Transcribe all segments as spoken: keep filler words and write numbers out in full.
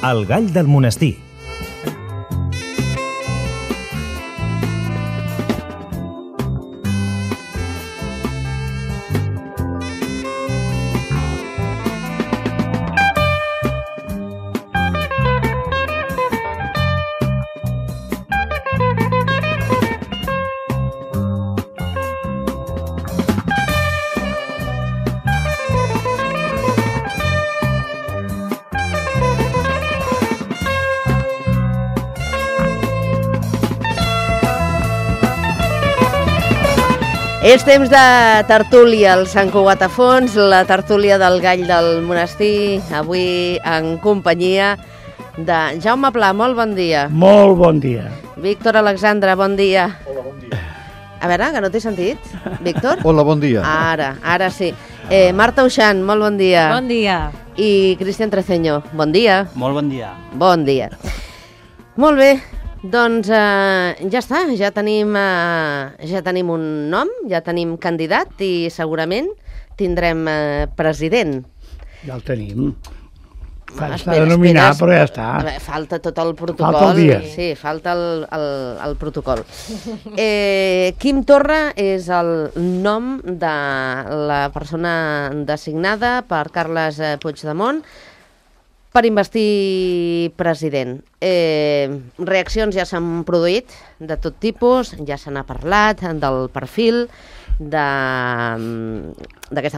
El gall del monestir. És temps de tertúlia al Sant Cugat a Fons, la tertúlia del gall del monestir, avui en companyia de Jaume Pla. Molt bon dia. Molt bon dia. Víctor Alexandre, bon dia. Hola, bon dia. A veure, que no t'he sentit, Víctor? Hola, bon dia. Ara, ara sí. Eh, Marta Uixant, molt bon dia. Bon dia. I Cristian Treceño, bon dia. Molt bon dia. Bon dia. Molt bé. Doncs eh, ja està, ja tenim, eh, ja tenim un nom, ja tenim candidat i segurament tindrem eh, president. Ja el tenim. Ah, S'ha espera, de nominar, espera, però ja està. A veure, falta tot el protocol. Falta el dia. Sí, falta el, el, el protocol. Eh, Quim Torra és el nom de la persona designada per Carles Puigdemont per investir president. Eh, reaccions ja s'han produït de tot tipus, ja se n'ha parlat del perfil d'aquesta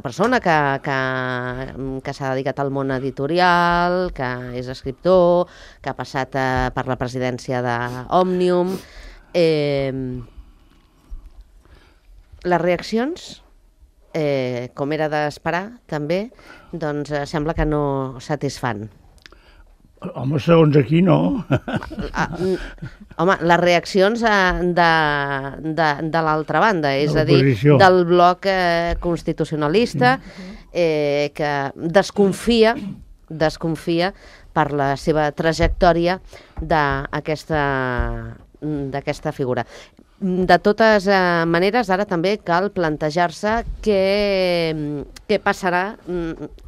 persona que, que, que s'ha dedicat al món editorial, que és escriptor, que ha passat eh, per la presidència d'Òmnium. Eh, les reaccions, eh, com era d'esperar, també, doncs eh, sembla que no satisfan. Home, segons aquí, no. Ah, home, les reaccions eh, de, de, de l'altra banda, és a dir, del bloc eh, constitucionalista, eh, que desconfia, desconfia per la seva trajectòria d'aquesta d'aquesta figura. De totes eh, maneres, ara també cal plantejar-se què, què passarà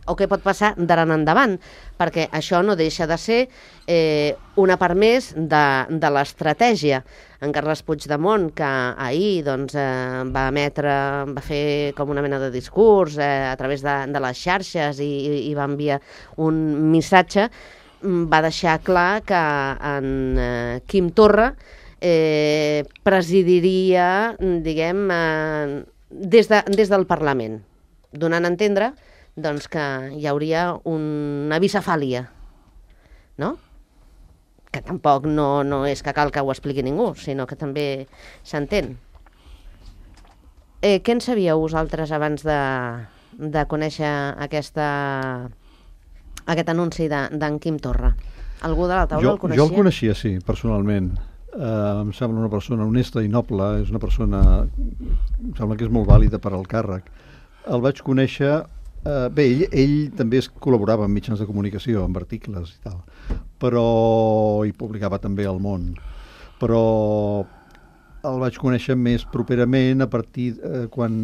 o què pot passar d'ara en endavant, perquè això no deixa de ser eh, una part més de, de l'estratègia. En Carles Puigdemont, que ahir doncs, eh, va emetre, va fer com una mena de discurs eh, a través de, de les xarxes i, i va enviar un missatge, va deixar clar que en eh, Quim Torra Eh, presidiria, diguem, eh, des, de, des del Parlament, donant a entendre doncs, que hi hauria una bicefàlia, no? Que tampoc no, no és que cal que ho expliqui ningú, sinó que també s'entén. Eh, què en sabíeu vosaltres abans de, de conèixer aquesta, aquest anunci d'en Quim Torra? Algú de la taula jo, el coneixia? Jo el coneixia, sí, personalment. Uh, em sembla una persona honesta i noble, és una persona, em sembla que és molt vàlida per al càrrec. El vaig conèixer, uh, bé, ell, ell també es col·laborava en mitjans de comunicació, amb articles i tal, però hi publicava també al Món, però el vaig conèixer més properament a partir uh, quan,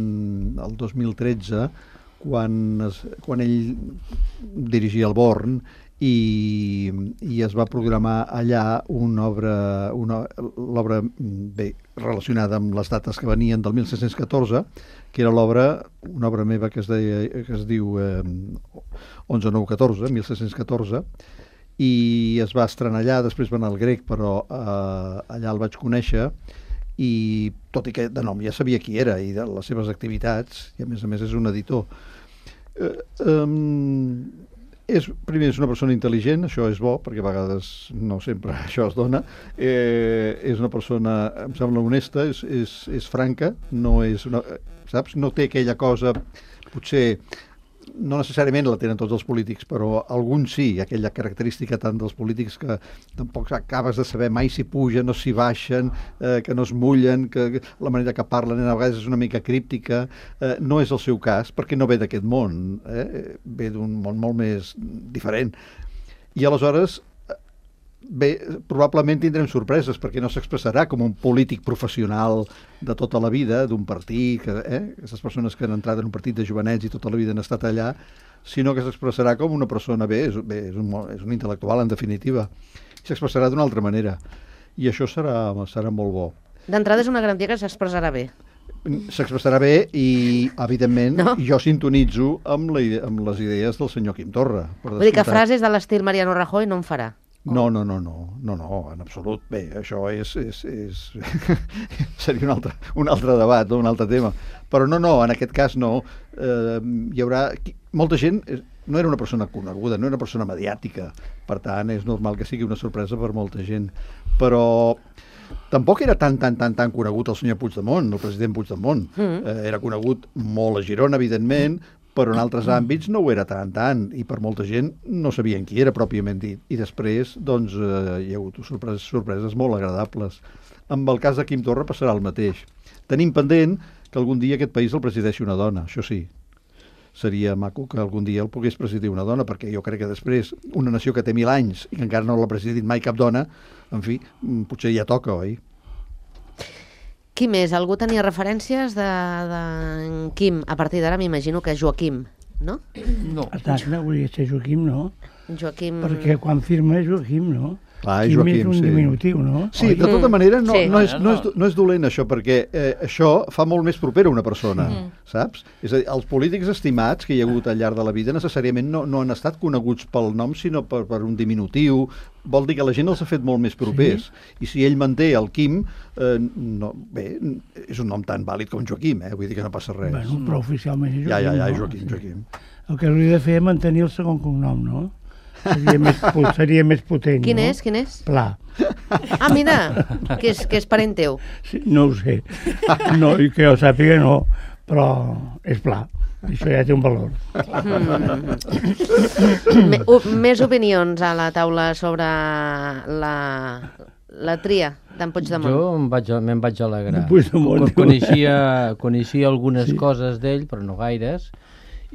el dos mil tretze, quan, es, quan ell dirigia el Born, i, i es va programar allà una obra, una, l'obra bé, relacionada amb les dates que venien del mil set-cents catorze, que era l'obra, una obra meva que es, deia, que es diu eh, onze nou catorze, mil set-cents catorze, i es va estrenar allà, després va anar al Grec, però eh, allà el vaig conèixer, i tot i que de nom ja sabia qui era i de les seves activitats, i a més a més és un editor. Eh, eh, És, primer, és una persona intel·ligent, això és bo, perquè a vegades no sempre això es dona. Eh, és una persona, em sembla, honesta, és, és, és franca, no és una, saps? No té aquella cosa, potser, no necessàriament la tenen tots els polítics, però alguns sí, aquella característica tant dels polítics que tampoc acabes de saber mai si pugen o si baixen, eh, que no es mullen, que la manera que parlen a vegades és una mica críptica. Eh, no és el seu cas, perquè no ve d'aquest món, eh? Ve d'un món molt més diferent. I aleshores bé, probablement tindrem sorpreses, perquè no s'expressarà com un polític professional de tota la vida, d'un partit, que, eh? aquestes persones que han entrat en un partit de jovenets i tota la vida han estat allà, sinó que s'expressarà com una persona, bé, és, bé, és, un, és un intel·lectual, en definitiva, i s'expressarà d'una altra manera. I això serà, serà molt bo. D'entrada és una garantia que s'expressarà bé. S'expressarà bé i, evidentment, no? jo sintonitzo amb, la, amb les idees del senyor Quim Torra. Vull dir que frases de l'estil Mariano Rajoy no en farà? No, no, no, no, no, no, en absolut. Bé, això és, és, és... seria un altre, un altre debat, un altre tema. Però no, no, en aquest cas no. Eh, hi haurà... Molta gent no era una persona coneguda, no era una persona mediàtica. Per tant, és normal que sigui una sorpresa per molta gent. Però tampoc era tan, tan, tan, tan conegut el senyor Puigdemont, el president Puigdemont. Mm. Eh, era conegut molt a Girona, evidentment, però en altres àmbits no ho era tant, tant, i per molta gent no sabien qui era pròpiament dit. I després, doncs, eh, hi ha hagut sorpreses, sorpreses molt agradables. Amb el cas de Quim Torra passarà el mateix. Tenim pendent que algun dia aquest país el presideixi una dona, això sí. Seria maco que algun dia el pogués presidir una dona, perquè jo crec que després, una nació que té mil anys i que encara no l'ha presidit mai cap dona, en fi, potser ja toca, oi? Qui més? Algú tenia referències de, de Quim? A partir d'ara m'imagino que Joaquim, no? No. Exacte, volia ser Joaquim, no? Joaquim... Perquè quan firma és Joaquim, no? Clar, Quim Joaquim, és un sí. diminutiu, no? Sí, de tota manera no, Sí. no, és, no, és, no és dolent això, perquè eh, això fa molt més propera una persona, Mm. saps? És a dir, els polítics estimats que hi ha hagut al llarg de la vida necessàriament no, no han estat coneguts pel nom, sinó per, per un diminutiu. Vol dir que la gent els ha fet molt més propers. Sí. I si ell manté el Quim, eh, no, bé, és un nom tan vàlid com Joaquim, eh? Vull dir que no passa res. Bueno, però oficialment és Joaquim, ja, ja, ja, no? Joaquim, Joaquim. El que hauria de fer és mantenir el segon cognom, no? Seria més, seria més potent, Quin no? és? Quin és? Pla. Ah, mira, que és, que és parent teu. Sí, no ho sé. No, i que jo sàpiga no, però és Pla. Això ja té un valor. Mm. Me, u, més opinions a la taula sobre la, la tria d'en Puigdemont. Jo em vaig, me'n vaig alegrar. Puigdemont. Co- Coneixia, coneixia algunes Sí. coses d'ell, però no gaires.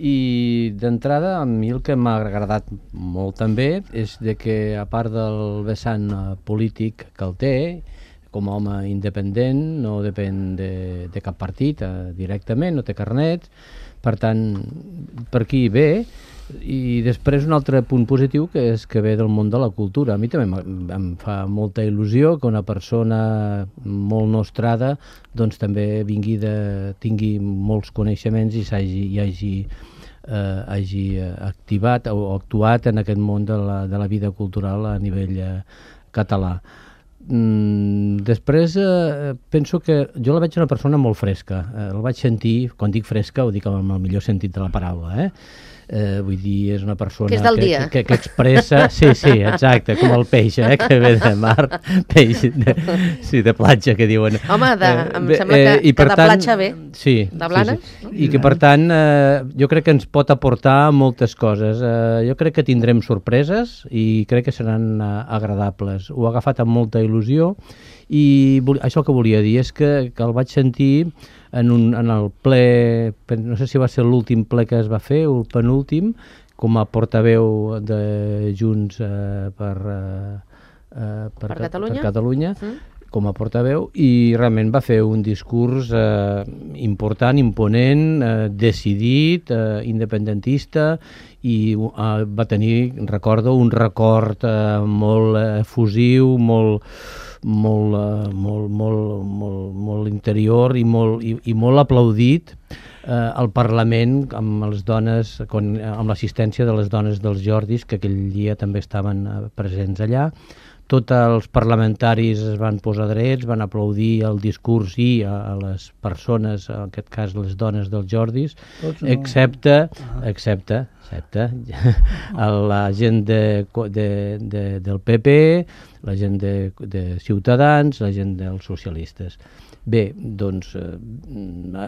I d'entrada, a mi el que m'ha agradat molt també és de que, a part del vessant eh, polític que el té, com a home independent, no depèn de, de cap partit eh, directament, no té carnets, per tant, per aquí ve. I després un altre punt positiu que és que ve del món de la cultura. A mi també em, em fa molta il·lusió que una persona molt nostrada doncs també vingui de, tingui molts coneixements i s'hagi, i hagi, eh, hagi activat o actuat en aquest món de la, de la vida cultural a nivell eh, català. Mm, després eh, penso que jo la veig una persona molt fresca. Eh, el vaig sentir, quan dic fresca ho dic amb el millor sentit de la paraula, eh? Eh, vull dir, és una persona que, és del que, dia. que, que expressa, sí, sí, exacte, com el peix, eh, que ve de mar, peix de, sí, de platja, que diuen. Home, de, em Eh, sembla que, eh, i que per de tant, platja ve, sí, de Blanes. sí, sí. I que per tant eh, jo crec que ens pot aportar moltes coses. Eh, jo crec que tindrem sorpreses i crec que seran eh, agradables. Ho ha agafat amb molta il·lusió i vol, això que volia dir és que, que el vaig sentir en, un, en el ple, no sé si va ser l'últim ple que es va fer o el penúltim, com a portaveu de Junts eh, per, eh, eh, per, Per Catalunya. per Catalunya Mm. com a portaveu, i realment va fer un discurs eh, important, imponent, eh, decidit, eh, independentista, i eh, va tenir, recordo, un record eh, molt efusiu, molt molt, uh, molt, molt, molt, molt interior i molt, i, i molt aplaudit eh, al Parlament amb les dones, con, amb l'assistència de les dones dels Jordis, que aquell dia també estaven uh, presents allà. Tots els parlamentaris es van posar drets, van aplaudir el discurs i a, a les persones, en aquest cas les dones dels Jordis, Tots no. excepte, excepte, excepte la gent de, de, de, del P P, la gent de, de Ciutadans, la gent dels socialistes. Bé, doncs eh,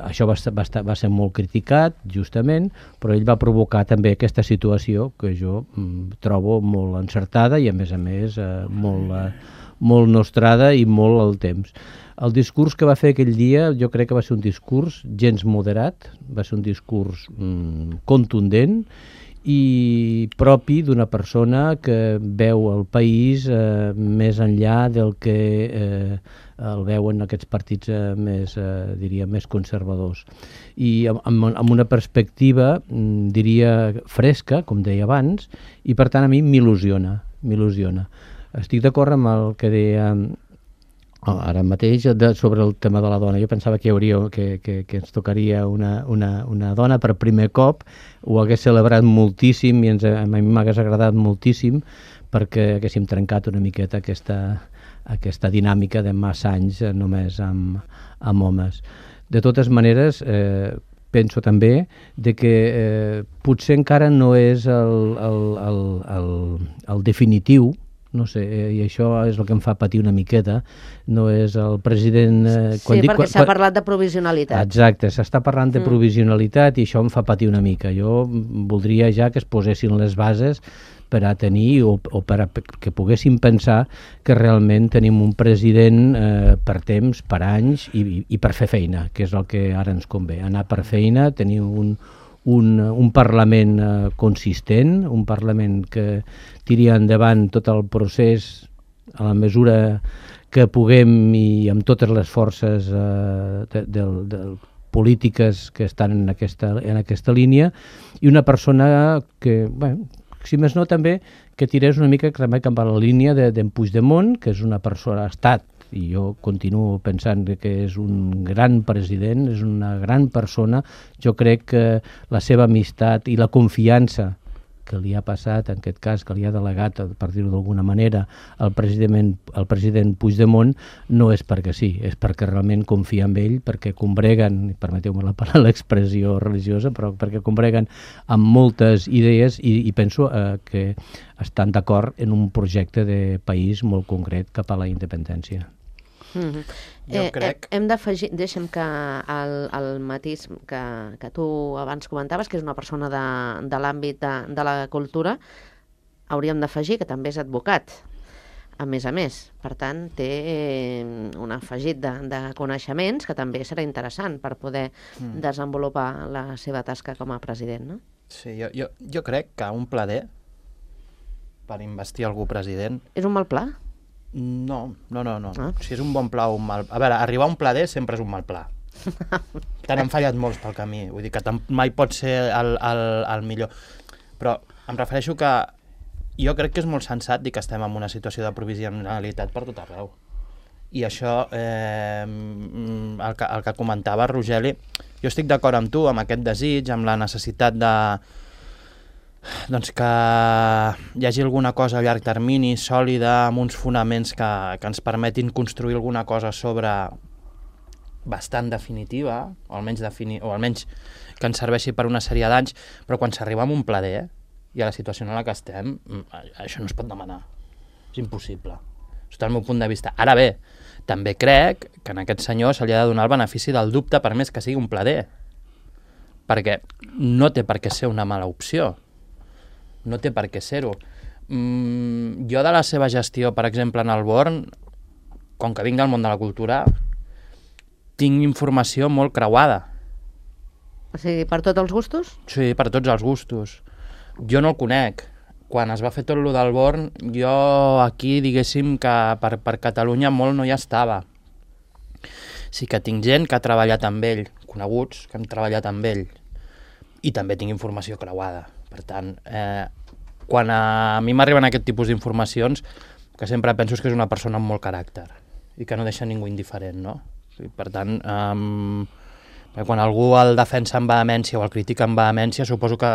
això va, va, estar, va ser molt criticat, justament, però ell va provocar també aquesta situació que jo mm, trobo molt encertada i, a més a més, eh, molt, eh, molt nostrada i molt al temps. El discurs que va fer aquell dia jo crec que va ser un discurs gens moderat, va ser un discurs mm, contundent i propi d'una persona que veu el país eh, més enllà del que eh, el veuen aquests partits eh, més, eh, diria, més conservadors. I amb, amb una perspectiva, diria, fresca, com deia abans, i per tant a mi m'il·lusiona, m'il·lusiona. Estic d'acord amb el que deia ara mateix de, sobre el tema de la dona. Jo pensava que hi hauria, que, que, que ens tocaria una, una, una dona per primer cop, ho hagués celebrat moltíssim i ens, a mi m'hagués agradat moltíssim perquè haguéssim trencat una miqueta aquesta, aquesta dinàmica de massa anys només amb, amb homes. De totes maneres, eh, penso també de que eh, potser encara no és el, el, el, el, el definitiu, no sé, i això és el que em fa patir una miqueta, no és el president... Eh, quan sí, dic, perquè s'ha parlat de provisionalitat. Exacte, s'està parlant de mm. provisionalitat i això em fa patir una mica. Jo voldria ja que es posessin les bases per a tenir o, o per a que poguéssim pensar que realment tenim un president eh, per temps, per anys i, i per fer feina, que és el que ara ens convé. Anar per feina, tenir un... Un, un Parlament eh, consistent, un Parlament que tiri endavant tot el procés a la mesura que puguem i amb totes les forces eh, de, de, de polítiques que estan en aquesta, en aquesta línia, i una persona que, bueno, si més no també, que tirés una mica també cap a la línia d'en de, Puigdemont, que és una persona, ha estat, i jo continuo pensant que és un gran president, és una gran persona. Jo crec que la seva amistat i la confiança que li ha passat, en aquest cas, que li ha delegat, per dir-ho d'alguna manera, el president, el president Puigdemont, no és perquè sí, és perquè realment confia en ell, perquè combreguen, permeteu-me l'expressió religiosa, però perquè combreguen amb moltes idees i, i penso eh, que estan d'acord en un projecte de país molt concret cap a la independència. Mm-hmm. Jo crec... Eh, hem d'afegir, deixa'm que el, el matís que, que tu abans comentaves, que és una persona de, de l'àmbit de, de la cultura, hauríem d'afegir que també és advocat, a més a més. Per tant, té un afegit de, de coneixements que també serà interessant per poder mm. desenvolupar la seva tasca com a president, no? Sí, jo, jo, jo crec que un pla D per investir algú president... És un mal pla? No, no, no, no. Ah. Si és un bon pla o un mal... A veure, arribar a un pla D sempre és un mal pla. Te n'han fallat molts pel camí. Vull dir que mai pot ser el, el, el millor. Però em refereixo que jo crec que és molt sensat dir que estem en una situació de provisionalitat per tot arreu. I això, eh, el, que, el que comentava Rogeli, jo estic d'acord amb tu, amb aquest desig, amb la necessitat de... doncs que hi hagi alguna cosa a llarg termini, sòlida, amb uns fonaments que, que ens permetin construir alguna cosa sobre bastant definitiva, o almenys, defini o almenys que ens serveixi per una sèrie d'anys, però quan s'arriba a un pla D i a la situació en la que estem, això no es pot demanar. És impossible. Sota el meu punt de vista. Ara bé, també crec que en aquest senyor se li ha de donar el benefici del dubte per més que sigui un pla D, perquè no té per què ser una mala opció. No té per què ser-ho. Mm, jo de la seva gestió, per exemple, en el Born, com que vinc del món de la cultura, tinc informació molt creuada. O sigui, per tots els gustos? Sí, per tots els gustos. Jo no el conec. Quan es va fer tot lo del Born, jo aquí, diguéssim, que per, per Catalunya molt no hi estava. Sí que tinc gent que ha treballat amb ell, coneguts que han treballat amb ell, i també tinc informació creuada. Per tant, eh, quan a, a mi m'arriben aquest tipus d'informacions, que sempre penso que és una persona amb molt caràcter i que no deixa ningú indiferent, no? I per tant, eh, quan algú el defensa amb vehemència o el critica amb vehemència, suposo que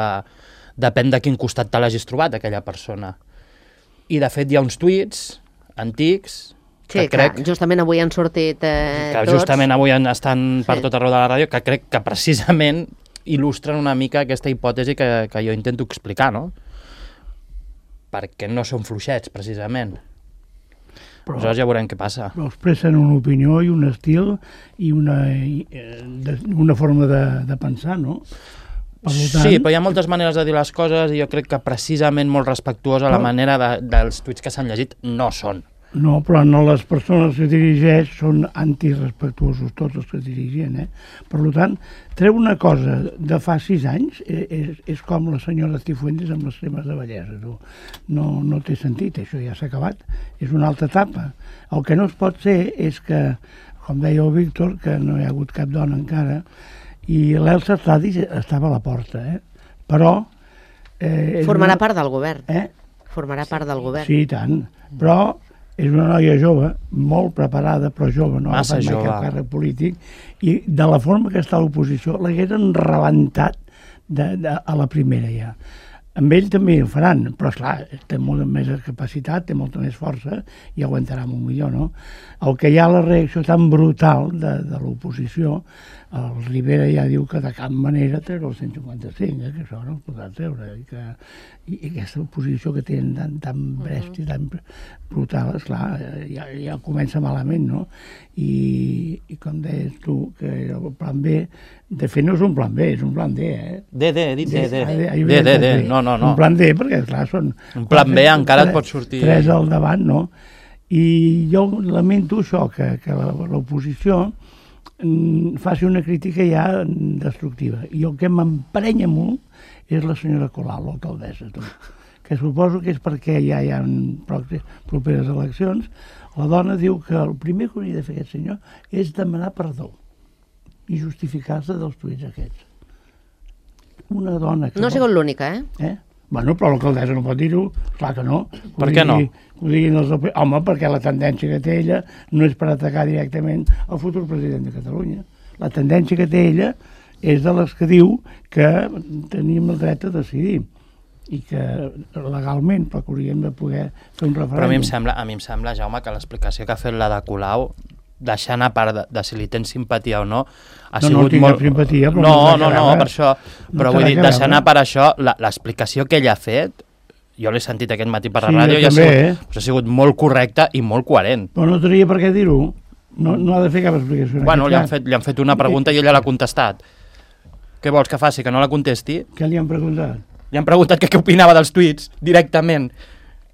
depèn de quin costat te l'hagis trobat, aquella persona. I, de fet, hi ha uns tuits antics... Sí, que crec, clar, justament avui han sortit eh, que tots. Justament avui estan per sí. tot arreu de la ràdio, que crec que precisament il·lustren una mica aquesta hipòtesi que, que jo intento explicar, no? Perquè no són fluixets, precisament. Però, aleshores ja veurem què passa. Però expressen una opinió i un estil i una, una forma de, de pensar, no? Per tant... Sí, però hi ha moltes maneres de dir les coses i jo crec que precisament molt respectuosa però... la manera de, dels tuits que s'han llegit no són. No, però no les persones que dirigeix són antirespectuosos, tots els que dirigien, eh? Per tant, treu una cosa de fa sis anys, és, és com la senyora Cifuentes amb les cremes de bellesa. No, no, no té sentit, això ja s'ha acabat, és una altra etapa. El que no es pot ser és que, com deia el Víctor, que no hi ha hagut cap dona encara, i l'Elsa Artadi estava a la porta, eh? Però... Eh, Formarà una... part del govern. Eh? Formarà part del govern. Sí, i tant. Però és una noia jove, molt preparada, però jove, no ha Massa agafat mai jove. cap càrrec polític, i de la forma que està a l'oposició l'hagueren rebentat de, de, a la primera ja. Amb ell també ho faran, però esclar, té molta més capacitat, té molta més força i aguantarà molt millor, no? El que hi ha la reacció tan brutal de, de l'oposició, el Rivera ja diu que de cap manera treure el cent cinquanta-cinc, eh, que això no es podrà treure, i, que, i, i aquesta oposició que tenen tan, tan bresta i tan brutal, esclar, ja, ja comença malament, no? I, i com deies tu, que era el plan B, de fet no és un plan B, és un plan D, eh? D, D, he dit D, D. D, D, D, D, no, no, no. Un plan D, perquè clar, són... Un plan B encara et pot sortir... Tres al davant, no? I jo lamento això, que, que l'oposició faci una crítica ja destructiva. I el que m'emprenya molt és la senyora Colau, l'alcaldessa, tu. Que suposo que és perquè ja hi ha properes eleccions. La dona diu que el primer que hauria de fer aquest senyor és demanar perdó i justificar-se dels tuits aquests. Una dona que... No ha sigut l'única, eh? Eh? Bueno, però l'alcaldessa no pot dir-ho, clar que no. Per què no? Ho diguin els... Home, perquè la tendència que té ella no és per atacar directament el futur president de Catalunya. La tendència que té ella és de les que diu que tenim el dret a decidir i que legalment, però que hauríem de poder fer un referèndum. Però a mi em sembla, a mi em sembla, Jaume, que l'explicació que ha fet la de Colau, deixant a part de, de si li tens simpatia o no, ha no, sigut no, molt... simpatia, però no, no, no, no, per això. Però no vull dir, deixant veure. a part això, l'explicació que ell ha fet, jo l'he sentit aquest matí per la Sí, ràdio, jo i ha també, sigut, eh? ha sigut molt correcta i molt coherent. Però no tenia per què dir-ho. No, no ha de fer cap explicació. en Bueno, aquest li han, cas. fet, li han fet una pregunta i ella l'ha contestat. Què vols que faci, que no la contesti? Què li han preguntat? Li han preguntat que què opinava dels tuits, directament.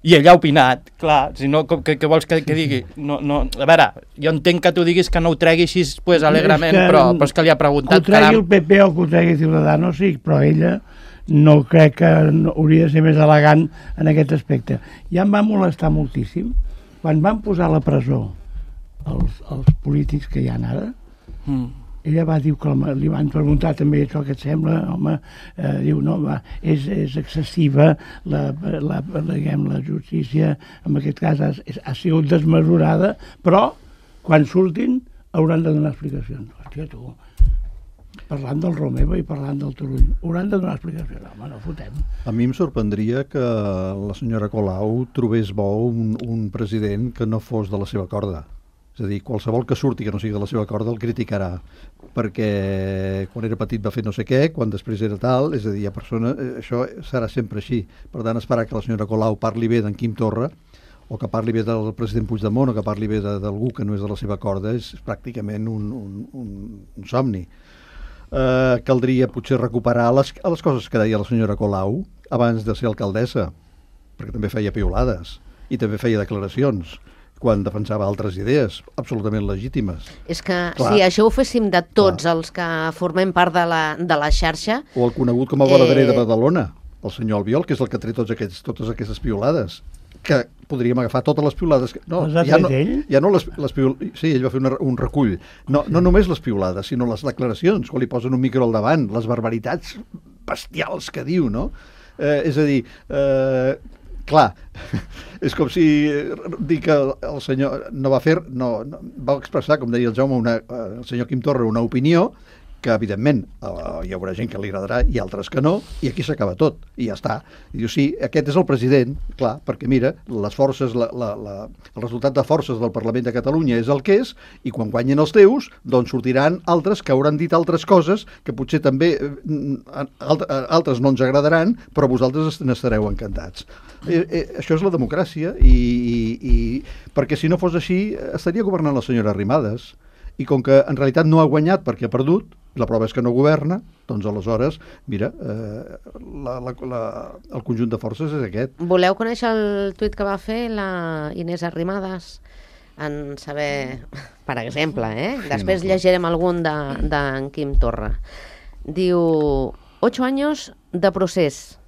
I ella ha opinat, clar, si no, què, què vols que, que digui? No, no, a veure, jo entenc que tu diguis que no ho tregui així pues, alegrement, És que, però, però és que li ha preguntat... Que ho tregui caram. el P P o que ho tregui Ciudadanos, sí, però ella no crec que no, hauria de ser més elegant en aquest aspecte. Ja em va molestar moltíssim quan van posar a la presó els, els polítics que hi ha ara. Mm. Ella va dir que li van preguntar també això que et sembla, home, eh, diu, no, va, és, és excessiva la, la, la, diguem, la justícia, en aquest cas ha, ha sigut desmesurada, però quan surtin hauran de donar explicacions. Hòstia, tu, parlant del Romeva i parlant del Turull, hauran de donar explicacions. Home, no fotem. A mi em sorprendria que la senyora Colau trobés bo un, un president que no fos de la seva corda. És a dir, qualsevol que surti que no sigui de la seva corda el criticarà, perquè quan era petit va fer no sé què, quan després era tal, és a dir, hi ha persones, això serà sempre així. Per tant, esperar que la senyora Colau parli bé d'en Quim Torra, o que parli bé del president Puigdemont, o que parli bé d'algú que no és de la seva corda, és pràcticament un, un, un, un somni. Eh, caldria potser recuperar les, les coses que deia la senyora Colau abans de ser alcaldessa, perquè també feia piolades i també feia declaracions quan defensava altres idees absolutament legítimes. És que Clar. si això ho féssim de tots Clar. els que formem part de la, de la xarxa... O el conegut com a Bonaderer Eh. de Badalona, el senyor Albiol, que és el que té tots aquests, totes aquestes piolades, que podríem agafar totes les piolades... Que, no, Les ha ja tret no, ell? ja no les, les piol... Sí, ell va fer una, un recull. No, no només les piolades, sinó les declaracions, quan li posen un micro al davant, les barbaritats bestials que diu, no? Eh, és a dir... Eh, clar, és com si dir que el senyor no va fer, no, no va expressar, com deia el Jaume, una, el senyor Quim Torra, una opinió que evidentment uh, hi haurà gent que li agradarà i altres que no, i aquí s'acaba tot, i ja està. I diu, sí, aquest és el president, clar, perquè mira, les forces, la, la, la, el resultat de forces del Parlament de Catalunya és el que és, i quan guanyen els teus, doncs sortiran altres que hauran dit altres coses que potser també eh, altres no ens agradaran, però vosaltres n'estareu encantats. Eh, eh, això és la democràcia, i, i, i perquè si no fos així estaria governant la senyora Arrimadas, i com que en realitat no ha guanyat perquè ha perdut, La prova és que no governa, doncs aleshores, mira, eh, la, la, la, el conjunt de forces és aquest. Voleu conèixer el tuit que va fer la Inés Arrimadas en saber, per exemple, eh? Després llegirem algun d'en de, de Quim Torra. Diu, ocho años de procés,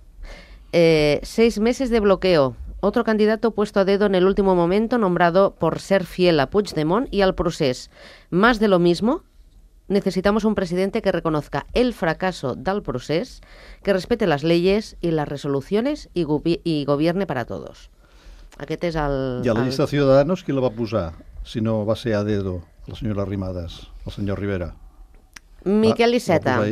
eh, seis meses de bloqueo, otro candidato puesto a dedo en el último momento, nombrado por ser fiel a Puigdemont y al procés. Más de lo mismo. Necesitamos un presidente que reconozca el fracaso del procés, que respete las leyes y las resoluciones y, gobi y gobierne para todos. Aquest és el... I a la el... llista de Ciudadanos qui la va posar? Si no va ser a dedo, la senyora Arrimadas, el senyor Rivera. Miquel Iceta. Va,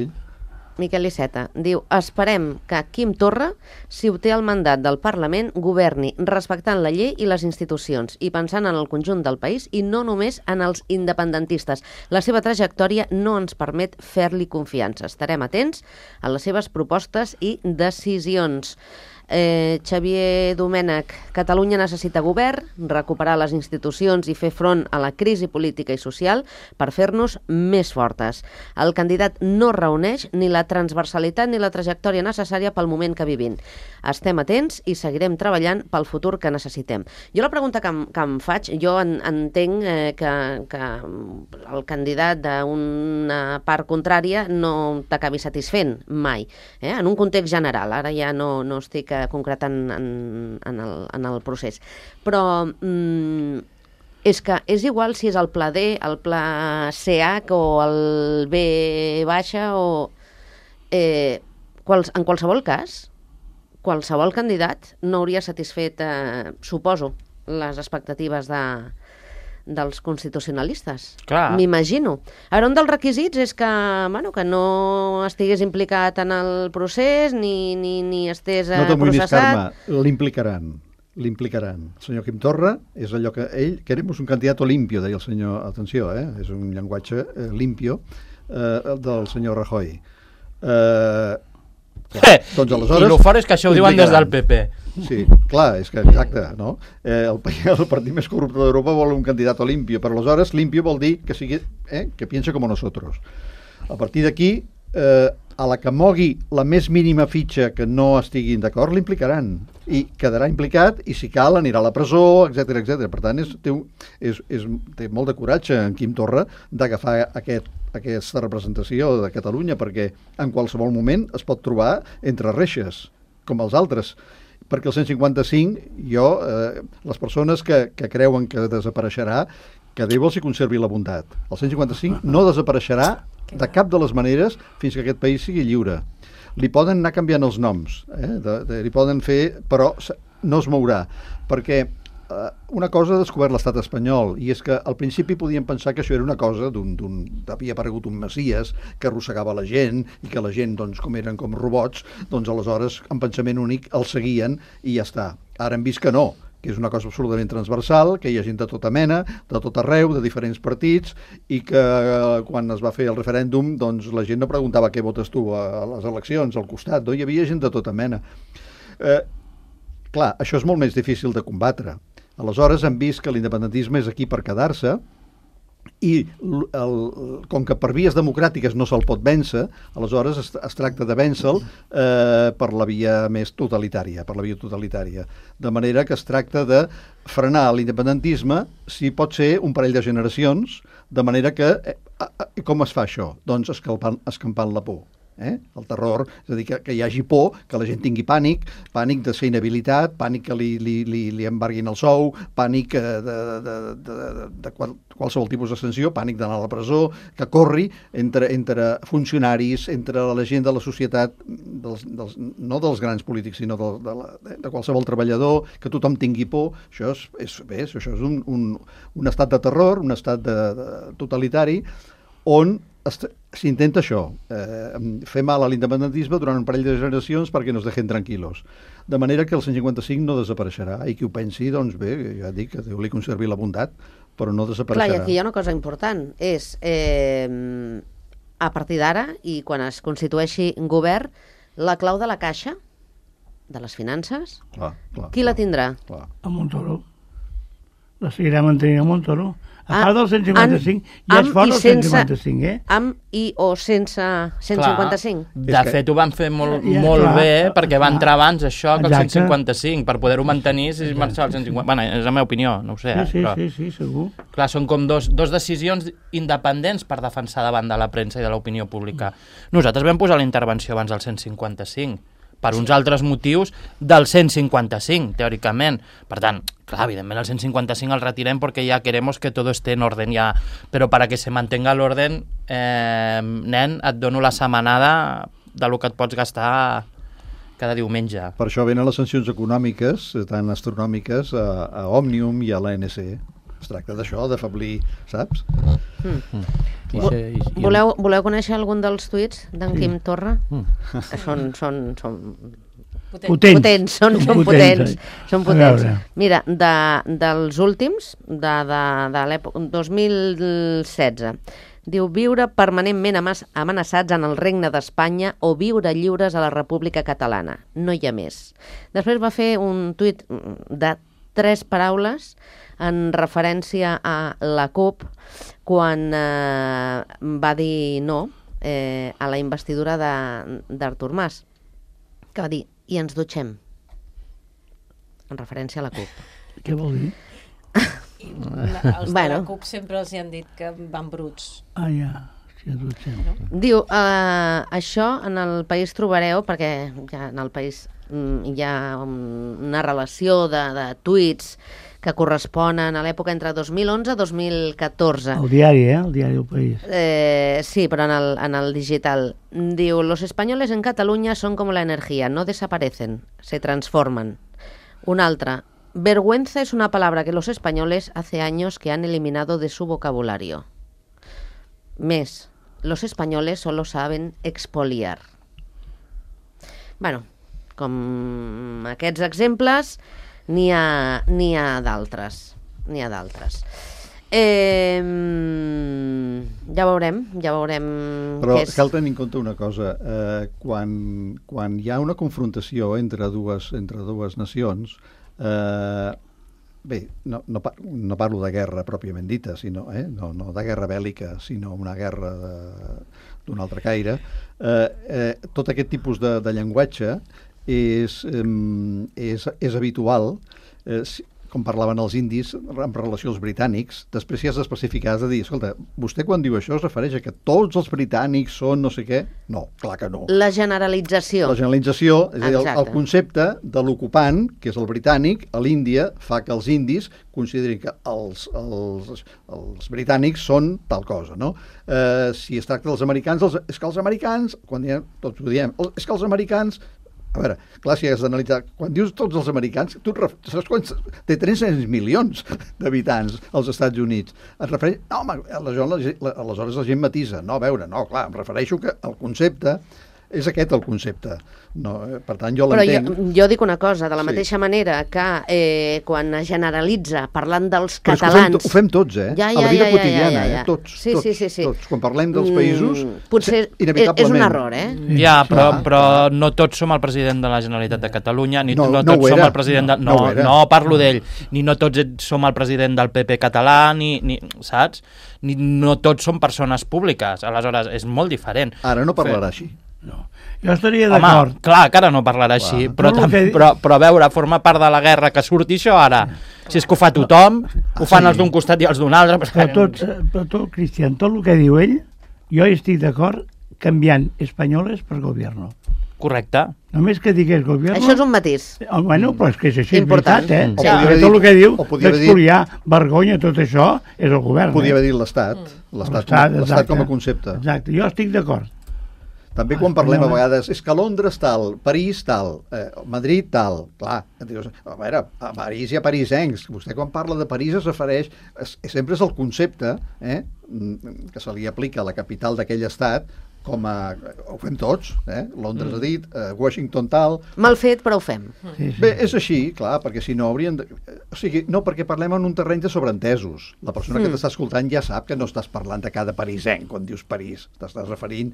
Miquel Iceta diu, esperem que Quim Torra, si obté el mandat del Parlament, governi respectant la llei i les institucions i pensant en el conjunt del país i no només en els independentistes. La seva trajectòria no ens permet fer-li confiança. Estarem atents a les seves propostes i decisions. Eh, Xavier Domènech, Catalunya necessita govern, recuperar les institucions i fer front a la crisi política i social per fer-nos més fortes. El candidat no reuneix ni la transversalitat ni la trajectòria necessària pel moment que vivim. Estem atents i seguirem treballant pel futur que necessitem. Jo la pregunta que em, que em faig, jo en, entenc eh, que, que el candidat d'una part contrària no t'acabi satisfent mai, eh? En un context general, ara ja no, no estic concretant en, en, el, en el procés. Però mm, és que és igual si és el pla D, el pla C H o el B baixa o... Eh, quals, en qualsevol cas, qualsevol candidat no hauria satisfet, eh, suposo, les expectatives de, dels constitucionalistes. M'imagino. Ara, un dels requisits és que, bueno, que no estigués implicat en el procés ni, ni, ni estés eh, no t'amoïnis, processat. Carme, l'implicaran. L'implicaran. El senyor Quim Torra és allò que ell... Queremos un candidato limpio, deia el senyor... Atenció, eh? És un llenguatge eh, limpio eh, del senyor Rajoy. Eh, clar, doncs aleshores... I el fort és que això ho diuen des del P P. Sí, clar, és que exacte, no? Eh, el, el partit més corrupte d'Europa vol un candidat limpio, però aleshores limpio vol dir que sigui, eh, que piensa com nosotros. A partir d'aquí, eh, a la que mogui la més mínima fitxa que no estiguin d'acord, l'implicaran i quedarà implicat i si cal anirà a la presó, etcètera, etcètera. Per tant, és, té, és, és, té molt de coratge en Quim Torra d'agafar aquest, aquesta representació de Catalunya perquè en qualsevol moment es pot trobar entre reixes, com els altres. Perquè el cent cinquanta-cinc, jo, eh, les persones que, que creuen que desapareixerà, que Déu els hi conservi la bondat. El cent cinquanta-cinc no desapareixerà de cap de les maneres fins que aquest país sigui lliure. Li poden anar canviant els noms, eh? de, de, li poden fer, però no es mourà, perquè eh, una cosa ha descobert l'estat espanyol, i és que al principi podíem pensar que això era una cosa d'un... havia aparegut un Messies que arrossegava la gent, i que la gent, doncs, com eren com robots, doncs aleshores, en pensament únic, el seguien i ja està. Ara hem vist que no, que és una cosa absolutament transversal, que hi ha gent de tota mena, de tot arreu, de diferents partits, i que eh, quan es va fer el referèndum, doncs la gent no preguntava què votes tu a, a les eleccions, al costat, no? Hi havia gent de tota mena. Eh, clar, això és molt més difícil de combatre. Aleshores hem vist que l'independentisme és aquí per quedar-se, i el, com que per vies democràtiques no se'l pot vèncer, aleshores es, es tracta de vèncer-lo eh, per la via més totalitària, per la via totalitària. De manera que es tracta de frenar l'independentisme, si pot ser un parell de generacions, de manera que... Eh, eh, com es fa això? Doncs escampant, escampant la por. Eh? El terror, és a dir, que, que hi hagi por, que la gent tingui pànic, pànic de ser inhabilitat, pànic que li, li, li, li embarguin el sou, pànic de, de, de, de, de qual, qualsevol tipus de sanció, pànic d'anar a la presó, que corri entre, entre funcionaris, entre la gent de la societat, dels, dels, no dels grans polítics, sinó de, de, la, de qualsevol treballador, que tothom tingui por. Això és, és, bé, això és un, un, un estat de terror, un estat de, de totalitari, on s'intenta això, eh, fer mal a l'independentisme durant un parell de generacions perquè no es deixen tranquil·los. De manera que el cent cinquanta-cinc no desapareixerà, i qui ho pensi, doncs bé, ja dic, que Déu li conservi la bondat, però no desapareixerà. Clar, i aquí hi ha una cosa important, és eh, a partir d'ara, i quan es constitueixi un govern, la clau de la caixa, de les finances, clar, clar, qui clar, la tindrà? Clar. A Montoro. la seguirà mantenint a Montoro. A part del cent cinquanta-cinc, ja és fort el cent cinquanta-cinc, eh? Amb i o sense cent cinquanta-cinc. De fet, ho van fer molt, ja, molt clar, bé, perquè va entrar abans això que el cent cinquanta-cinc, per poder-ho mantenir si es marxava el cent cinquanta. Bueno, és la meva opinió, no ho sé. Sí, sí, però... sí, sí, segur. Clar, són com dos, dos decisions independents per defensar davant de la premsa i de l'opinió pública. Nosaltres vam posar la intervenció abans del cent cinquanta-cinc, per uns altres motius del cent cinquanta-cinc, teòricament. Per tant, clar, evidentment el cent cinquanta-cinc el retirem perquè ja queremos que todo esté en orden ya, però para que se mantenga l'orden, eh, nen, et dono la setmanada de lo que et pots gastar cada diumenge. Per això venen les sancions econòmiques, tan astronòmiques, a, a Òmnium i a l'A N C. Es tracta d'això, d'afablir, saps? Mm. Mm. Voleu, voleu conèixer algun dels tuits d'en sí. Quim Torra? Mm. Són, són, són potents. potents. potents, són, són potents. Són potents. Mira, de, dels últims, de, de, de l'època dos mil setze, diu viure permanentment amenaçats en el Regne d'Espanya o viure lliures a la República Catalana. No hi ha més. Després va fer un tuit de tres paraules en referència a la CUP quan eh, va dir no eh, a la investidura d'Artur Mas, que va dir, i ens dutxem, en referència a la CUP. Què vol dir? I la, els bueno. de la CUP sempre els hi han dit que van bruts. Ah, ja. Sí, dutxem. No? Diu, eh, això en el país trobareu, perquè ja en el país mm, hi ha una relació de, de tuits que corresponen a l'època entre dos mil onze i dos mil catorze. El diari, eh? El diari del País. Eh, sí, però en el, en el digital. Diu, los españoles en Cataluña son como la energía, no desaparecen, se transforman. Una altra, vergüenza es una palabra que los españoles hace años que han eliminado de su vocabulario. Més, los españoles solo saben expoliar. Bueno, com aquests exemples, n'hi ha, n'hi ha d'altres. N'hi ha d'altres. Eh, ja veurem, ja veurem... Però què és... cal tenir en compte una cosa. Eh, quan, quan hi ha una confrontació entre dues, entre dues nacions, eh, bé, no, no, no parlo de guerra pròpiament dita, sinó, eh, no, no de guerra bèl·lica, sinó una guerra d'un altre caire, eh, eh, tot aquest tipus de, de llenguatge és, eh, és, és habitual, eh, com parlaven els indis en relació als britànics. Després si has d'especificar, has de dir, escolta, vostè quan diu això es refereix a que tots els britànics són no sé què? No, clar que no. La generalització. La generalització, és a dir, el, el concepte de l'ocupant, que és el britànic, a l'Índia, fa que els indis considerin que els, els, els britànics són tal cosa, no? Eh, si es tracta dels americans, els, és que els americans, quan diem, tots ho diem, és que els americans... A veure, clar, si has d'analitzar... Quan dius tots els americans, tu ref... saps quants... Té tres-cents milions d'habitants als Estats Units. Et refereix... No, home, aleshores, aleshores la gent matisa. No, a veure, no, clar, em refereixo que el concepte... És aquest el concepte. No, per tant, jo l'entenc... Però jo, jo dic una cosa, de la sí. mateixa manera que eh, quan es generalitza parlant dels Però catalans... Ho fem, ho fem tots, eh? Ja, ja, a la vida ja, ja, quotidiana, ja, ja, ja. eh? Tots, sí, tots, sí, sí, sí. tots. Quan parlem dels països, mm, potser inevitablement... és un error, eh? Ja, però, però no tots som el president de la Generalitat de Catalunya, ni no, no, no tots som era. el president... De... No, No, no, no parlo d'ell. Ni no tots som el president del P P català, ni, ni saps? Ni no tots som persones públiques. Aleshores, és molt diferent. Ara no parlarà així. No. Jo estaria d'acord. Home, clar, que ara no parlarà clar. així, però, tam, que... però, però a veure, forma part de la guerra que surti això ara. Si és que ho fa tothom, ho fan sí. els d'un costat i els d'un altre... Però, però, tot, però tot, Cristian, tot el que diu ell, jo estic d'acord canviant espanyoles per gobierno. Correcte. Només que digués gobierno... Això és un matís. Oh, bueno, però és que és així, important. És veritat, eh? Sí. Ja. Tot el que diu d'expoliar vergonya, tot això, és el govern. Podria eh? haver dit l'Estat. L'Estat com a concepte. Exacte, jo estic d'acord. També quan parlem a vegades, és que Londres tal, París tal, eh, Madrid tal, clar, dius, a veure, a París hi ha parisencs, vostè quan parla de París es refereix, es, sempre és el concepte eh, que se li aplica a la capital d'aquell estat, com a... Ho fem tots, eh? Londres mm. ha dit, eh, Washington tal... Mal fet, però ho fem. Sí, sí. Bé, és així, clar, perquè si no haurien... De... O sigui, no, perquè parlem en un terreny de sobreentesos. La persona mm. que t'està escoltant ja sap que no estàs parlant de cada parisenc quan dius París. T'estàs referint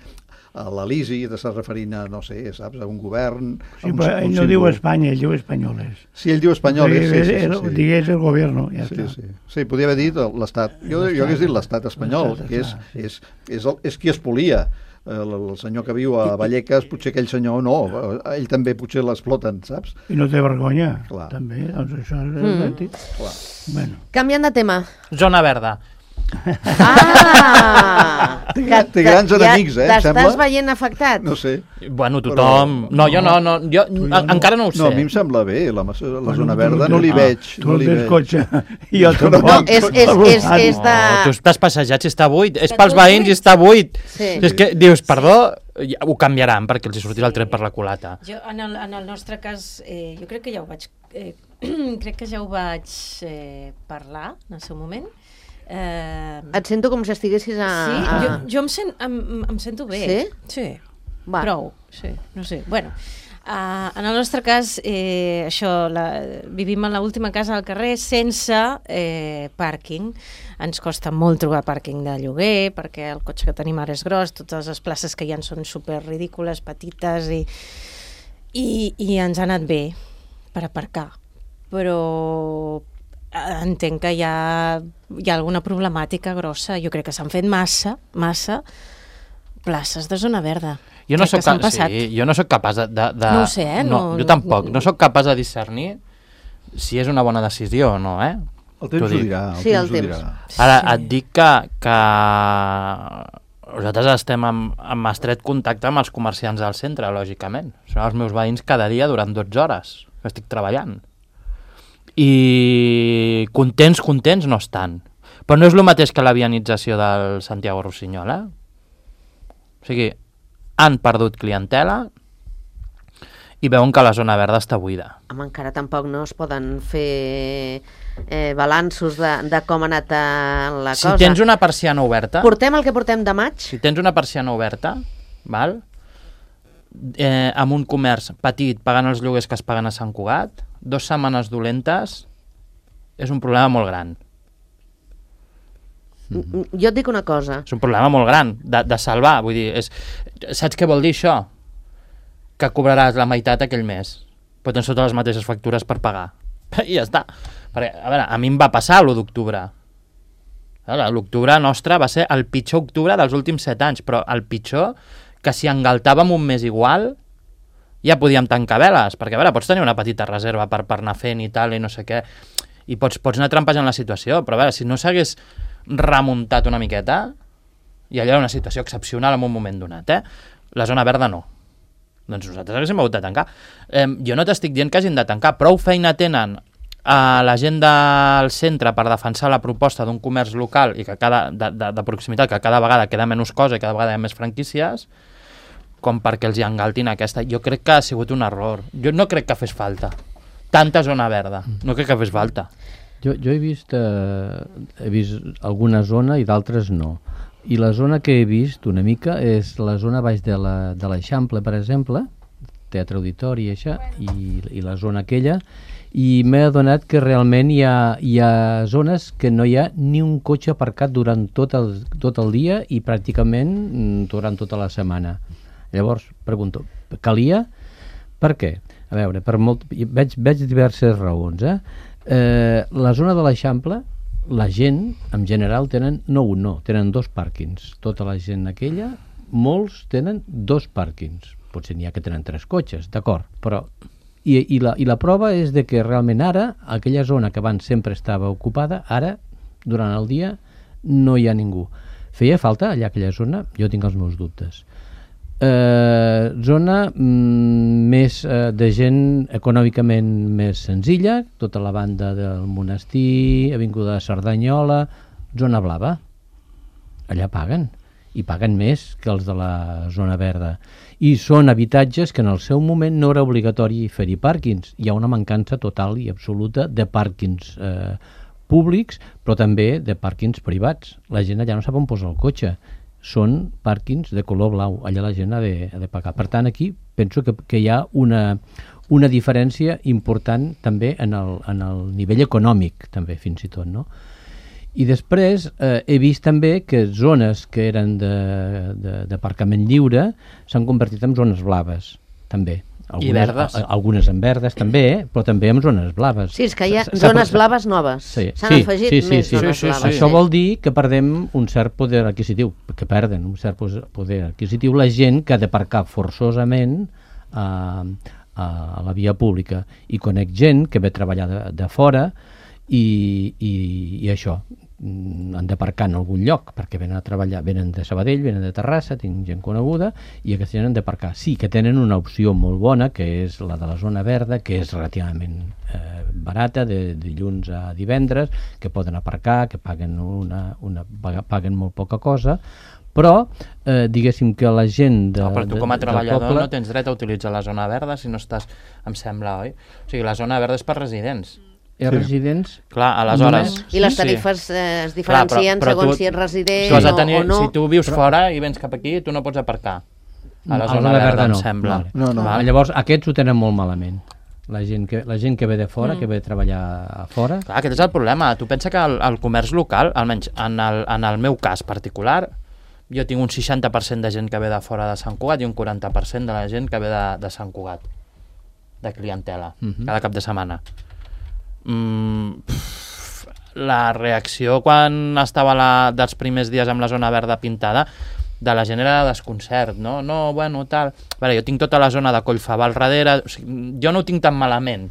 a l'Elisi, t'estàs referint a, no sé, saps, a un govern... Sí, un, però ell no diu Espanya, ell diu Espanyoles. Sí, ell diu Espanyoles, sí, sí, sí, sí. Digués el govern, ja sí, està. Sí, sí. Sí, podria haver dit l'Estat. Jo, jo hagués dit l'Estat espanyol, que és, és, és, el, és qui espolia. El, el senyor que viu a Vallecas, potser aquell senyor no, ell també potser l'exploten, saps? I no té vergonya, clar. També, doncs això és mm. ètic. Bueno. Canviant de tema. Zona verda. Ah! Té, té grans enemics, eh, em sembla. T'estàs veient afectat? No sé. Bueno, tothom... Però... No, jo no, no, jo no. encara no ho sé. No, a mi em sembla bé, la, la bueno, zona verda tu, no li ah, veig. Tu no li tens veig. Cotxe, i jo tampoc. No, és, és, és, és de... No, tu estàs passejat si està buit, és pels veïns i està buit. Sí. És que dius, perdó, ho canviaran perquè els hi sortirà el tren per la culata. Jo, en el, en el nostre cas, eh, jo crec que ja ho vaig... Eh, crec que ja ho vaig eh, parlar en el seu moment. Eh... Et sento com si estiguessis a... Sí, a... jo, jo em, sent, em, em sento bé. Sí? Sí, va. Prou, sí, no sé. Bueno, uh, en el nostre cas, eh, això, la, vivim en l'última casa al carrer sense eh, pàrquing. Ens costa molt trobar pàrquing de lloguer, perquè el cotxe que tenim ara és gros, totes les places que hi ha són super ridícules, petites, i, i, i ens ha anat bé per aparcar. Però entenc que hi ha, hi ha alguna problemàtica grossa. Jo crec que s'han fet massa, massa places de zona verda. Jo no, soc, sí, jo no soc capaç de... de, de no ho sé, eh? No, no, jo tampoc. No soc capaç de discernir si és una bona decisió o no, eh? El temps ho dirà. El sí, temps el temps. dirà. Ara, et dic que, que nosaltres estem en, en estret contacte amb els comerciants del centre, lògicament. Són els meus veïns cada dia durant dotze hores que estic treballant. I contents, contents no estan. Però no és el mateix que la vianització del Santiago Rossinyol, eh? O sigui, han perdut clientela i veuen que la zona verda està buida. Home, encara tampoc no es poden fer eh, balanços de, de com ha anat la si cosa. Si tens una persiana oberta... Portem el que portem de maig? Si tens una persiana oberta, val? Eh, amb un comerç petit, pagant els lloguers que es paguen a Sant Cugat, dues setmanes dolentes és un problema molt gran. Mm-hmm. Jo et dic una cosa. És un problema molt gran de, de salvar. Vull dir, és, saps què vol dir això? Que cobraràs la meitat aquell mes, però tens totes les mateixes factures per pagar. I ja està. Perquè, a veure, a mi em va passar l'u d'octubre. L'octubre nostre va ser el pitjor octubre dels últims set anys, però el pitjor que si engaltàvem un mes igual ja podíem tancar veles, perquè a veure, pots tenir una petita reserva per, per anar fent i tal, i no sé què, i pots, pots anar trampejant la situació, però a veure, si no s'hagués remuntat una miqueta, i allò era una situació excepcional en un moment donat, eh? La zona verda no. Doncs nosaltres haguéssim hagut de tancar. Eh, jo no t'estic dient que hagin de tancar, prou feina tenen a la gent del centre per defensar la proposta d'un comerç local i que cada, de, de, de proximitat, que cada vegada queda menys cosa i cada vegada hi ha més franquícies, com perquè els hi engaltin aquesta. Jo crec que ha sigut un error. Jo no crec que fes falta. Tanta zona verda. No crec que fes falta. Jo, jo he vist, eh, he vist alguna zona i d'altres no. I la zona que he vist una mica és la zona baix de l'Eixample, per exemple, Teatre Auditori i això, i, i la zona aquella, i m'he adonat que realment hi ha, hi ha zones que no hi ha ni un cotxe aparcat durant tot el, tot el dia i pràcticament durant tota la setmana. Llavors, pregunto, calia? Per què? A veure, per molt, veig, veig diverses raons. Eh? Eh, la zona de l'Eixample, la gent, en general, tenen, no un, no, tenen dos pàrquings. Tota la gent aquella, molts tenen dos pàrquings. Potser n'hi ha que tenen tres cotxes, d'acord, però... I, i, la, I la prova és de que realment ara, aquella zona que abans sempre estava ocupada, ara, durant el dia, no hi ha ningú. Feia falta allà aquella zona? Jo tinc els meus dubtes. Eh, zona mm, més eh, de gent econòmicament més senzilla, tota la banda del Monestir, Avinguda de Cerdanyola, zona blava. Allà paguen, i paguen més que els de la zona verda. I són habitatges que en el seu moment no era obligatori fer-hi pàrquings. Hi ha una mancança total i absoluta de pàrquings eh, públics, però també de pàrquings privats. La gent allà no sap on posar el cotxe. són pàrquings de color blau, allà la gent ha de, ha de pagar. Per tant, aquí penso que, que hi ha una, una diferència important també en el, en el nivell econòmic, també, fins i tot, no? I després eh, he vist també que zones que eren d'aparcament lliure s'han convertit en zones blaves, també. Algunes, I verdes. A, algunes en verdes també, però també en zones blaves. Sí, és que hi ha zones blaves noves. Sí, S'han sí, afegit sí, sí, més sí, zones sí, sí, blaves. sí. Això vol dir que perdem un cert poder adquisitiu, que perden un cert poder adquisitiu la gent que ha d'aparcar forçosament a, a, a la via pública. I conec gent que ve a treballar de, de fora i, i, i això, han d'aparcar en algun lloc perquè venen a treballar, venen de Sabadell, venen de Terrassa, tinc gent coneguda i aquesta gent han d'aparcar. Sí que tenen una opció molt bona que és la de la zona verda, que és relativament eh, barata, de dilluns a divendres, que poden aparcar, que paguen, una, una, paguen molt poca cosa, però eh, diguéssim que la gent de, no, però tu com a de, treballador poble... no tens dret a utilitzar la zona verda si no estàs, em sembla, oi? O sigui, la zona verda és per residents. I els residents... Clar, aleshores... I les tarifes sí. eh, es diferencien Clar, però, però segons tu, si ets resident o, tenir, o no. Si tu vius però... fora i vens cap aquí, tu no pots aparcar. A la zona a la verda, verda em no. sembla. Vale. No, no. Vale. Llavors, aquests ho tenen molt malament. La gent que, la gent que ve de fora, mm. que ve a treballar a fora... Clar, aquest és el problema. Tu pensa que el, el comerç local, almenys en el, en el meu cas particular, jo tinc un seixanta per cent de gent que ve de fora de Sant Cugat i un quaranta per cent de la gent que ve de, de Sant Cugat, de clientela, mm-hmm. cada cap de setmana. Mm, pff, la reacció quan estava la, dels primers dies amb la zona verda pintada de la gent era de desconcert, no? No, bueno, tal... Vale, jo tinc tota la zona de Collfabà al darrere, o sigui, jo no ho tinc tan malament,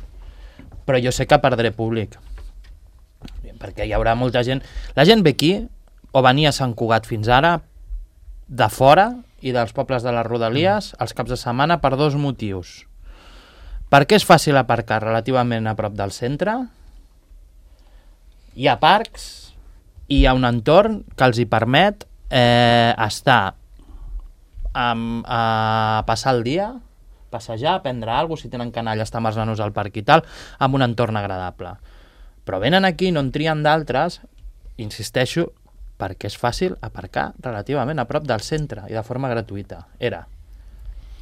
però jo sé que perdré públic, perquè hi haurà molta gent... La gent ve aquí, o venia a Sant Cugat fins ara, de fora i dels pobles de les Rodalies, els caps de setmana, per dos motius. Perquè és fàcil aparcar relativament a prop del centre, hi ha parcs i hi ha un entorn que els hi permet eh, estar amb, a passar el dia, passejar, prendre alguna cosa, si tenen canalla, estar amb els nanos al parc i tal, amb un entorn agradable. Però venen aquí, no en trien d'altres, insisteixo, perquè és fàcil aparcar relativament a prop del centre i de forma gratuïta. Era.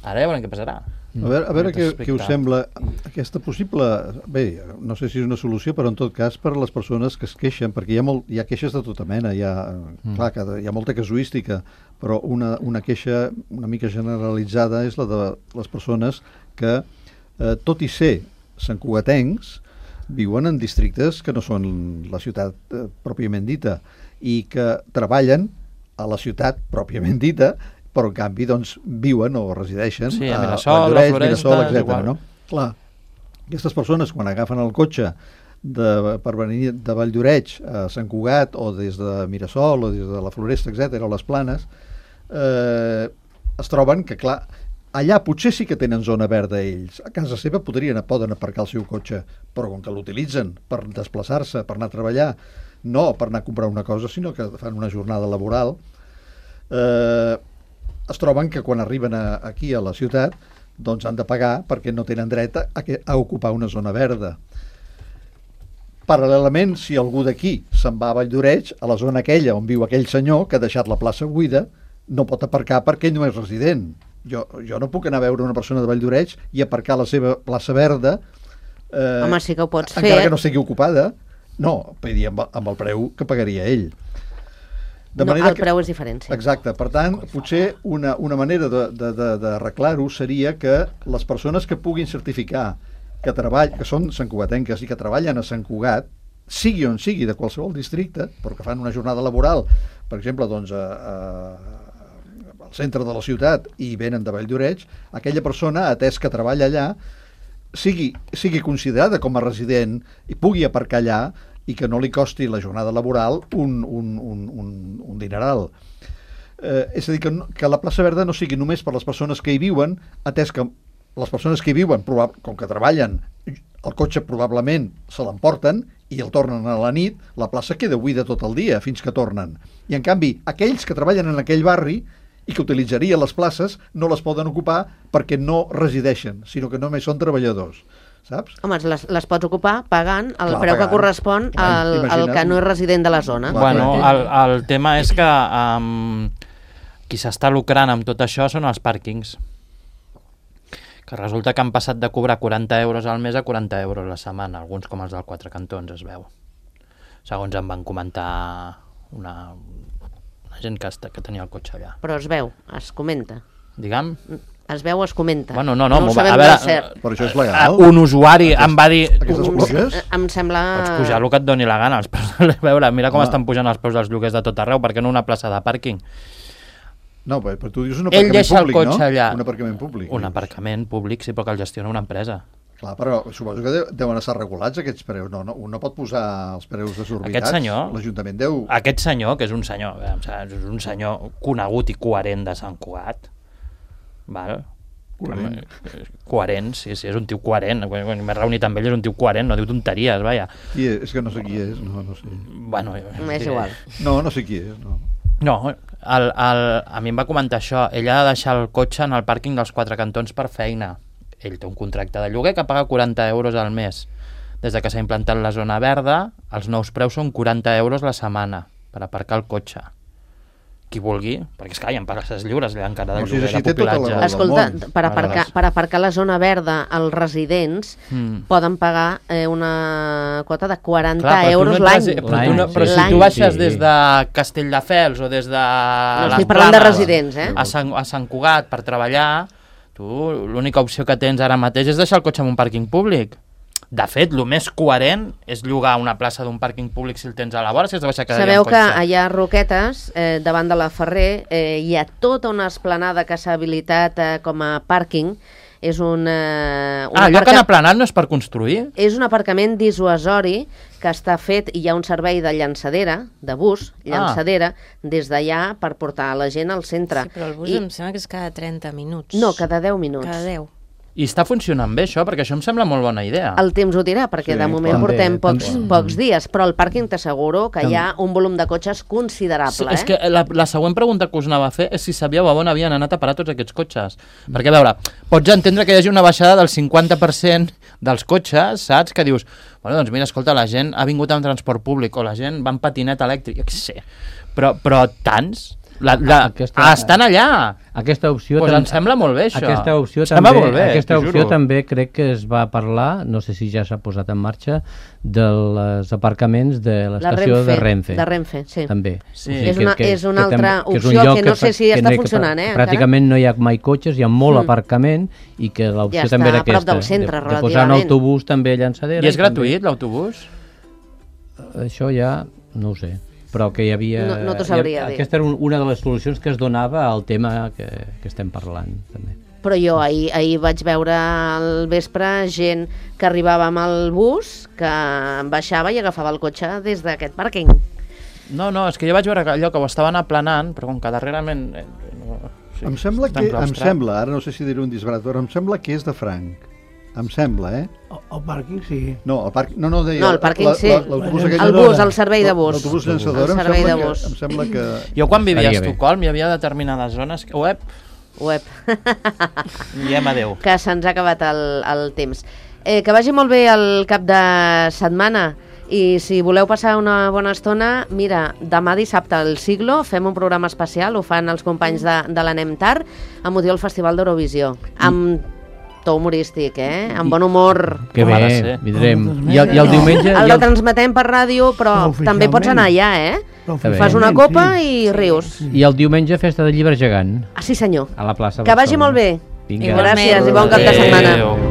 Ara ja veurem què passarà. A veure, a veure què, què us sembla aquesta possible... Bé, no sé si és una solució, però en tot cas per a les persones que es queixen, perquè hi ha, molt, hi ha queixes de tota mena, hi ha, mm. clar, que hi ha molta casuística, però una, una queixa una mica generalitzada és la de les persones que, eh, tot i ser santcugatencs, viuen en districtes que no són la ciutat eh, pròpiament dita i que treballen a la ciutat pròpiament dita, però en canvi doncs, viuen o resideixen sí, a a Mirasol, Valldoreix, a Floresta, Mirasol, etcètera. No? Clar, aquestes persones quan agafen el cotxe de, per venir de Valldoreix a Sant Cugat o des de Mirasol o des de la Floresta, etcètera, o les Planes, eh, es troben que, clar, allà potser sí que tenen zona verda ells. A casa seva podrien, poden aparcar el seu cotxe, però com que l'utilitzen per desplaçar-se, per anar a treballar, no per anar a comprar una cosa, sinó que fan una jornada laboral, eh, es troben que quan arriben a, aquí a la ciutat doncs han de pagar perquè no tenen dret a, a ocupar una zona verda. Paral·lelament, si algú d'aquí se'n va a Valldoreix, a la zona aquella on viu aquell senyor que ha deixat la plaça buida, no pot aparcar perquè ell no és resident. Jo, jo no puc anar a veure una persona de Valldoreix i aparcar la seva plaça verda eh, Home, sí que ho pots encara fer. que no sigui ocupada. No, vull dir, amb, amb el preu que pagaria ell. De no, el que... preu és diferent. Sí. Exacte, per tant, potser una, una manera d'arreglar-ho seria que les persones que puguin certificar que, treball, que són santcugatenques i que treballen a Sant Cugat, sigui on sigui, de qualsevol districte, però que fan una jornada laboral, per exemple, doncs, a, a, al centre de la ciutat i venen de Valldoreix, aquella persona, atès que treballa allà, sigui, sigui considerada com a resident i pugui aparcar allà i que no li costi la jornada laboral un, un, un, un, un dineral. Eh, és a dir, que, que la plaça verda no sigui només per les persones que hi viuen, atès que les persones que hi viuen, com que treballen, el cotxe probablement se l'emporten i el tornen a la nit, la plaça queda buida tot el dia fins que tornen. I en canvi, aquells que treballen en aquell barri i que utilitzarien les places no les poden ocupar perquè no resideixen, sinó que només són treballadors. Saps? Home, les, les pots ocupar pagant el Clar, preu pagant. que correspon al, al que no és resident de la zona. Bueno, el, el tema és que um, qui s'està lucrant amb tot això són els pàrquings. Que resulta que han passat de cobrar quaranta euros al mes a quaranta euros la setmana, alguns com els del Quatre Cantons, es veu. Segons em van comentar una, una gent que, que tenia el cotxe allà. Però es veu, es comenta. Digue'm? Es veu, es comenta. Bueno, no, no, no a veure, però això és legal? Un usuari em va dir... Aquestes pluges? Em sembla... Pots pujar el que et doni la gana. Els preus, a veure, mira com estan pujant els preus dels lloguers de tot arreu, perquè no una plaça de pàrquing. No, però tu dius un Ell aparcament deixa públic, el cotxe no? allà. Un aparcament públic. Un aparcament públic, sí, però que el gestiona una empresa. Clar, però suposo que deuen estar regulats aquests preus. No, no, un no pot posar els preus desorbitats. Aquest senyor... L'Ajuntament deu... Aquest senyor, que és un senyor, és un senyor conegut i coherent de Sant Cugat, val? Coherent. Coherent, sí, sí, és un tio coherent. Quan m'he reunit amb ell és un tio coherent, no diu tonteries, vaja. Qui és? És que no sé qui és, no, no sé. Bueno, és igual. No, no sé qui és, no. No, el, el, a mi em va comentar això. Ell ha de deixar el cotxe en el pàrquing dels Quatre Cantons per feina. Ell té un contracte de lloguer que paga quaranta euros al mes. Des de que s'ha implantat la zona verda, els nous preus són quaranta euros la setmana per aparcar el cotxe. Qui vulgui, perquè és que hi ha places lliures allà encara del O sigui, lloguer si de té tota la pupilatge. raó. Escolta, del món. per aparcar, per aparcar la zona verda, els residents Mm. poden pagar eh, una quota de quaranta Clar, però tu euros no l'any. entres- però tu no- Però si L'any. tu baixes Sí. des de Castelldefels o des de No les estic parlant de Planes residents, eh? a Sant, a Sant Cugat per treballar, tu l'única opció que tens ara mateix és deixar el cotxe en un pàrquing públic. De fet, el més coherent és llogar una plaça d'un pàrquing públic si el tens a la vora, si has de baixar cada dia Sabeu en que cotxe. allà a Roquetes, eh, davant de la Ferrer, eh, hi ha tota una esplanada que s'ha habilitat eh, com a pàrquing. És un, eh, un Ah, allò que aparca- han aplanat no és per construir? És un aparcament dissuasori que està fet, i hi ha un servei de llançadera, de bus, llançadera, des d'allà per portar la gent al centre. Sí, però el bus I, em sembla que és cada trenta minuts. no, cada deu minuts. Cada deu. I està funcionant bé això, perquè això em sembla molt bona idea. El temps ho dirà, perquè Sí, de moment també, portem pocs, també. pocs dies, però al pàrquing t'asseguro que hi ha un volum de cotxes considerable. Sí, eh? és que la, la següent pregunta que us anava a fer és si sabíeu a on havien anat a parar tots aquests cotxes. Perquè, a veure, pots entendre que hi hagi una baixada del cinquanta per cent dels cotxes, saps? Que dius, bueno, doncs mira, escolta, la gent ha vingut amb transport públic o la gent va en patinet elèctric, jo què sé. Però, però tants... La, la, Aquesta- ah, estan allà! Aquesta opció... Pues tam- em sembla molt bé, això. Aquesta opció, Em sembla també, molt bé, aquesta t'ho opció juro. també crec que es va parlar, no sé si ja s'ha posat en marxa, dels aparcaments de La l'estació de Renfe. De Renfe, sí. També. Sí. O sigui És una- és una tam- altra és un opció lloc que no sé si que està no hi- que funcionant, eh, encara. Pràcticament no hi ha mai cotxes, hi ha molt Mm. aparcament i que l'opció Ja també està era a prop aquesta. del centre, de, de posar un relativament. autobús també a llançadera. I és també- gratuït, l'autobús? Això ja no ho sé, però que hi havia... No- no t'ho hi ha- sabria dir. Aquesta era un, una de les solucions que es donava al tema que, que estem parlant, també. Però jo ahir, ahir vaig veure al vespre gent que arribava amb el bus, que baixava i agafava el cotxe des d'aquest pàrquing. No, no, és que jo vaig veure que allò que ho estaven aplanant, però com que darrerament... Eh, no, sí, Em sembla està que, em enclaustrat. sembla, ara no sé si diré un disbarat, però em sembla que és de franc. Em sembla, eh? El, el pàrquing sí. No, el parc, no, no, deia... No, el pàrquing la- sí. la- l'autobús aquell- El bus, el servei de bus. L'autobús llançadora, El em servei sembla, de que, bus. em sembla que... Jo quan vivia a Estaria bé. Estocolm hi havia determinades zones que... Uep, Web. diem adeu. Que se'ns ha acabat el, el temps. Eh, que vagi molt bé el cap de setmana i si voleu passar una bona estona, mira, demà dissabte al Siglo fem un programa especial, ho fan els companys de, de l'Anem Tard amb motiu del Festival d'Eurovisió, amb to humorístic, eh? Amb bon humor. Que Com ha de bé, ser. vindrem. I el, i el diumenge... El i el, retransmetem per ràdio, però Oficialment. també pots anar allà, eh? bé. Fas una copa sí. i rius. I el diumenge festa de llibre gegant Ah, sí senyor. a la plaça Que vagi Barcelona. molt bé. Vinga. Igualment. Gràcies i bon cap de setmana. Adéu.